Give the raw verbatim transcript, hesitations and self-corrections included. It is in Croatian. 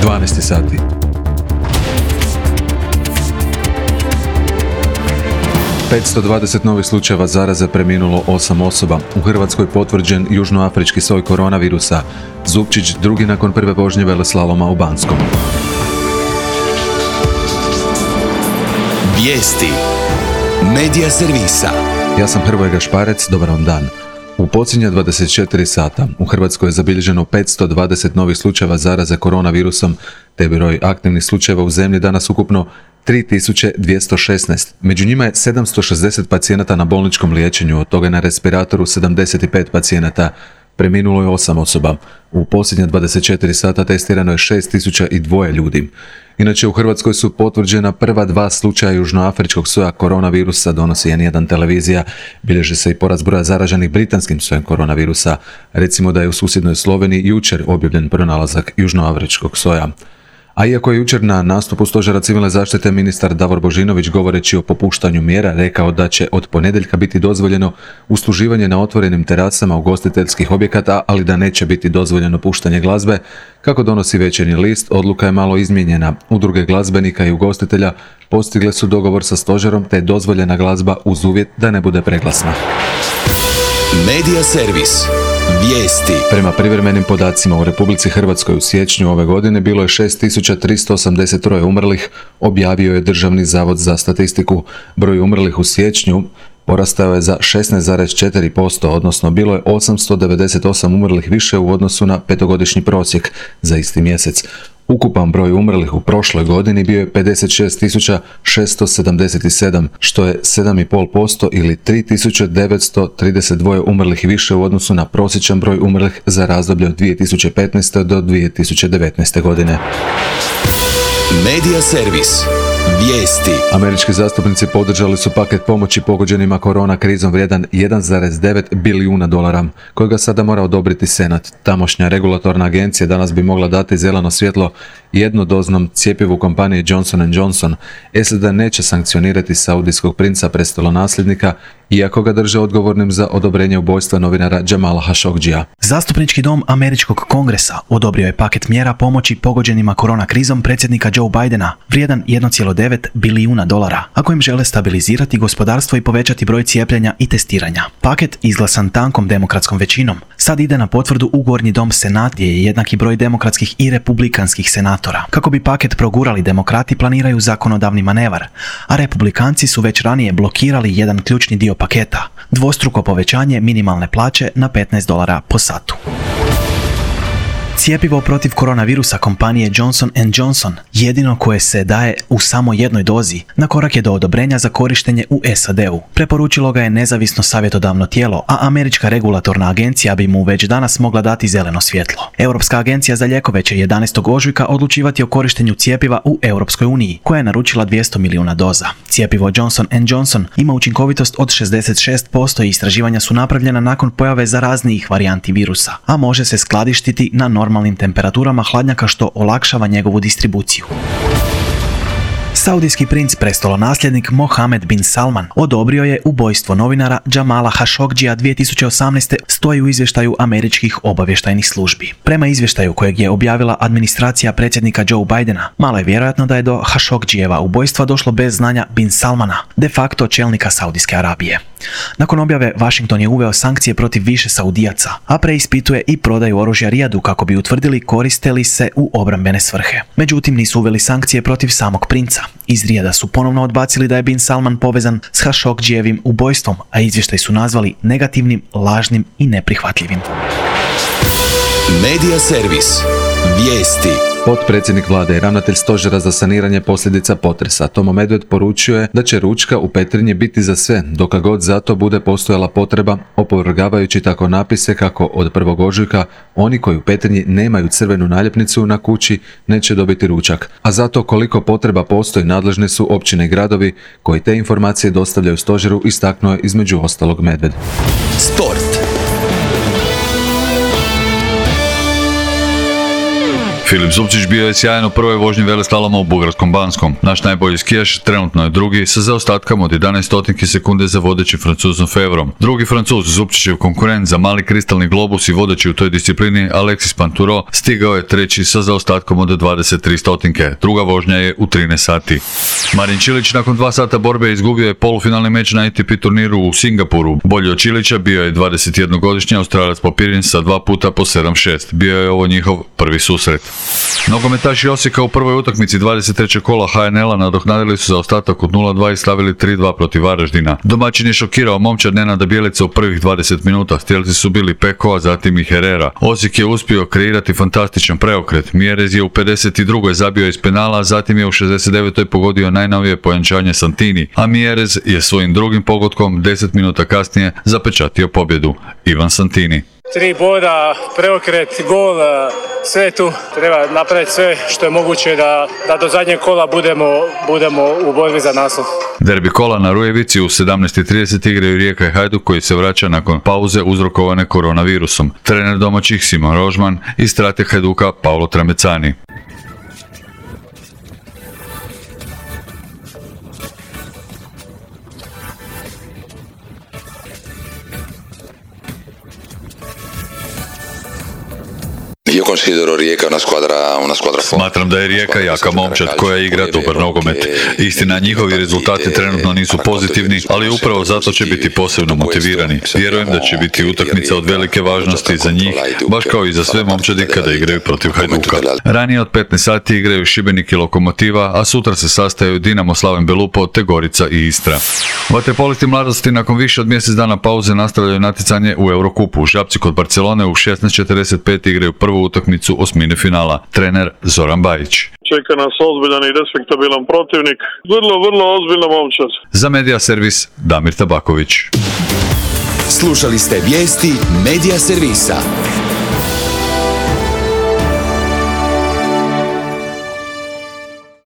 dvanaest sati. petsto dvadeset novih slučajeva zaraze, preminulo osam osoba. U Hrvatskoj potvrđen južnoafrički soj koronavirusa. Zupčić drugi nakon prve vožnje veleslaloma u Banskom. Vijesti Medija servisa. Ja sam Hrvoje Gašparec, dobar vam dan. U posljednja dvadeset četiri sata u Hrvatskoj je zabilježeno petsto dvadeset novih slučajeva zaraze koronavirusom, te broj aktivnih slučajeva u zemlji danas ukupno tri tisuće dvjesto šesnaest. Među njima je sedamsto šezdeset pacijenata na bolničkom liječenju, od toga na respiratoru sedamdeset pet pacijenata. Preminulo je osam osoba. U posljednja dvadeset četiri sata testirano je šest tisuća dva ljudi. Inače, u Hrvatskoj su potvrđena prva dva slučaja južnoafričkog soja koronavirusa, donosi en jedan televizija. Bilježi se i porast broja zaraženih britanskim sojem koronavirusa. Recimo da je u susjednoj Sloveniji jučer objavljen pronalazak južnoafričkog soja. A iako je jučer na nastupu Stožera civilne zaštite ministar Davor Božinović, govoreći o popuštanju mjera, rekao da će od ponedjeljka biti dozvoljeno usluživanje na otvorenim terasama ugostiteljskih objekata, ali da neće biti dozvoljeno puštanje glazbe, kako donosi Večernji list, odluka je malo izmijenjena. Udruge glazbenika i ugostitelja postigle su dogovor sa stožerom, te je dozvoljena glazba uz uvjet da ne bude preglasna. Medija servis. Vijesti. Prema privremenim podacima u Republici Hrvatskoj u siječnju ove godine bilo je šest tisuća tristo osamdeset tri umrlih, objavio je Državni zavod za statistiku. Broj umrlih u siječnju porastao je za šesnaest zarez četiri posto, odnosno bilo je osamsto devedeset osam umrlih više u odnosu na petogodišnji prosjek za isti mjesec. Ukupan broj umrlih u prošloj godini bio je pedeset šest tisuća šesto sedamdeset sedam, što je sedam zarez pet posto ili tri tisuće devetsto trideset dva umrlih više u odnosu na prosječan broj umrlih za razdoblje od dvije tisuće petnaeste. do dvije tisuće devetnaeste. godine. Medija servis. Vijesti. Američki zastupnici podržali su paket pomoći pogođenima korona krizom vrijedan jedan zarez devet bilijuna dolara, kojega sada mora odobriti Senat. Tamošnja regulatorna agencija danas bi mogla dati zeleno svjetlo jednodoznom cjepivu kompanije Johnson and Johnson. S A D neće sankcionirati saudijskog princa prestolonasljednika, iako ga drže odgovornim za odobrenje ubojstva novinara Jamala Khashoggjija. Zastupnički dom Američkog kongresa odobrio je paket mjera pomoći pogođenima korona krizom predsjednika Joe Bidena, vrijedan jedan zarez devet bilijuna dolara, a kojim žele stabilizirati gospodarstvo i povećati broj cijepljenja i testiranja. Paket, izglasan tankom demokratskom većinom, sad ide na potvrdu u Gornji dom Senat, gdje je jednaki broj demokratskih i republikanskih senatora. Kako bi paket progurali, demokrati planiraju zakonodavni manevar, a republikanci su već ranije blokirali jedan ključni dio paketa, dvostruko povećanje minimalne plaće na petnaest dolara po satu. Cijepivo protiv koronavirusa kompanije Johnson and Johnson, jedino koje se daje u samo jednoj dozi, na korak je do odobrenja za korištenje u S A D-u. Preporučilo ga je nezavisno savjetodavno tijelo, a Američka regulatorna agencija bi mu već danas mogla dati zeleno svjetlo. Europska agencija za lijekove će jedanaestog ožujka odlučivati o korištenju cijepiva u Europskoj uniji, koja je naručila dvjesto milijuna doza. Cijepivo Johnson and Johnson ima učinkovitost od šezdeset šest posto i istraživanja su napravljena nakon pojave zaraznijih varijanti virusa, a može se skladištiti na normalnim temperaturama hladnjaka, što olakšava njegovu distribuciju. Saudijski princ prestolonasljednik Mohamed bin Salman odobrio je ubojstvo novinara Jamala Khashoggjija dvije tisuće osamnaeste. stoji u izvještaju američkih obavještajnih službi. Prema izvještaju kojeg je objavila administracija predsjednika Joe Bidena, malo je vjerojatno da je do Khashoggjijeva ubojstva došlo bez znanja bin Salmana, de facto čelnika Saudijske Arabije. Nakon objave, Washington je uveo sankcije protiv više Saudijaca, a preispituje i prodaju oružja Rijadu kako bi utvrdili koriste li se u obrambene svrhe. Međutim, nisu uveli sankcije protiv samog princa. Iz Rijada su ponovno odbacili da je bin Salman povezan s Khashoggjijevim ubojstvom, a izvještaj su nazvali negativnim, lažnim i neprihvatljivim. Medija servis. Vijesti. Potpredsjednik vlade i ravnatelj stožera za saniranje posljedica potresa Tomo Medved poručio je da će ručka u Petrinji biti za sve, dok god za to bude postojala potreba, opovrgavajući tako napise kako od prvog ožujka oni koji u Petrinji nemaju crvenu naljepnicu na kući neće dobiti ručak. A zato koliko potreba postoji, nadležne su općine i gradovi koji te informacije dostavljaju stožeru, istaknuo je između ostalog Medved. Sport. Filip Zupčić bio je sjajan u prvoj vožnji veleslaloma u Bugarskom Banskom. Naš najbolji skijaš trenutno je drugi sa zaostatkom od jedanaest stotinki sekunde za vodećim Francuzom Fevrom. Drugi Francuz, Zupčićev konkurent za mali kristalni globus i vodeći u toj disciplini, Alexis Pinturo, stigao je treći sa zaostatkom od dvadeset tri stotinke. Druga vožnja je u trinaest sati. Marin Čilić nakon dva sata borbe izgubio je polufinalni meč na A T P turniru u Singapuru. Bolji od Čilića bio je dvadesetjednogodišnji Australac Popirin sa dva puta po sedam šest. Bio je ovo njihov prvi susret. Nogometaši Osijeka u prvoj utakmici dvadeset trećeg kola H N L-a nadoknadili su zaostatak od nula dva i stavili tri dva protiv Varaždina. Domaćin je šokirao momčad Nenada Bjelica u prvih dvadeset minuta. Strijelci su bili Peko, a zatim i Herrera. Osijek je uspio kreirati fantastičan preokret. Mjerez je u pedeset drugoj zabio iz penala, a zatim je u šezdeset devetoj pogodio najnovije pojančanje Santini, a Mjerez je svojim drugim pogodkom deset minuta kasnije zapečatio pobjedu. Ivan Santini. Tri boda, preokret, gol, sve tu. Treba napraviti sve što je moguće da, da do zadnjeg kola budemo, budemo u borbi za naslov. Derbi kola na Rujevici u sedamnaest i trideset igraju Rijeka i Hajduk koji se vraća nakon pauze uzrokovane koronavirusom. Trener domaćih Simon Rožman i strateg Hajduka Paolo Tramecani. Io considero Rijeka una squadra, una squadra forte. Smatram da je Rijeka jaka momčad koja igra dobar nogomet. Istina, njihovi rezultati trenutno nisu pozitivni, ali upravo zato će biti posebno motivirani. Vjerujem da će biti utakmica od velike važnosti za njih, baš kao i za sve momčadi kada igraju protiv Hajduka. Ranije od petnaest sati igraju Šibenik i Lokomotiva, a sutra se sastaju Dinamo Slaven Belupo te Gorica i Istra. Vaterpolisti mladosti nakon više od mjesec dana pauze nastavljaju natjecanje u Eurokupu. Žabci kod Barcelone u šesnaest četrdeset pet igraju prvu utakmicu osmine finala. Trener Zoran Bajić. Čeka nas ozbiljan i respektabilan protivnik. Vrlo, vrlo ozbiljna momčad. Za Media Servis Damir Tabaković. Slušali ste vijesti Media Servisa.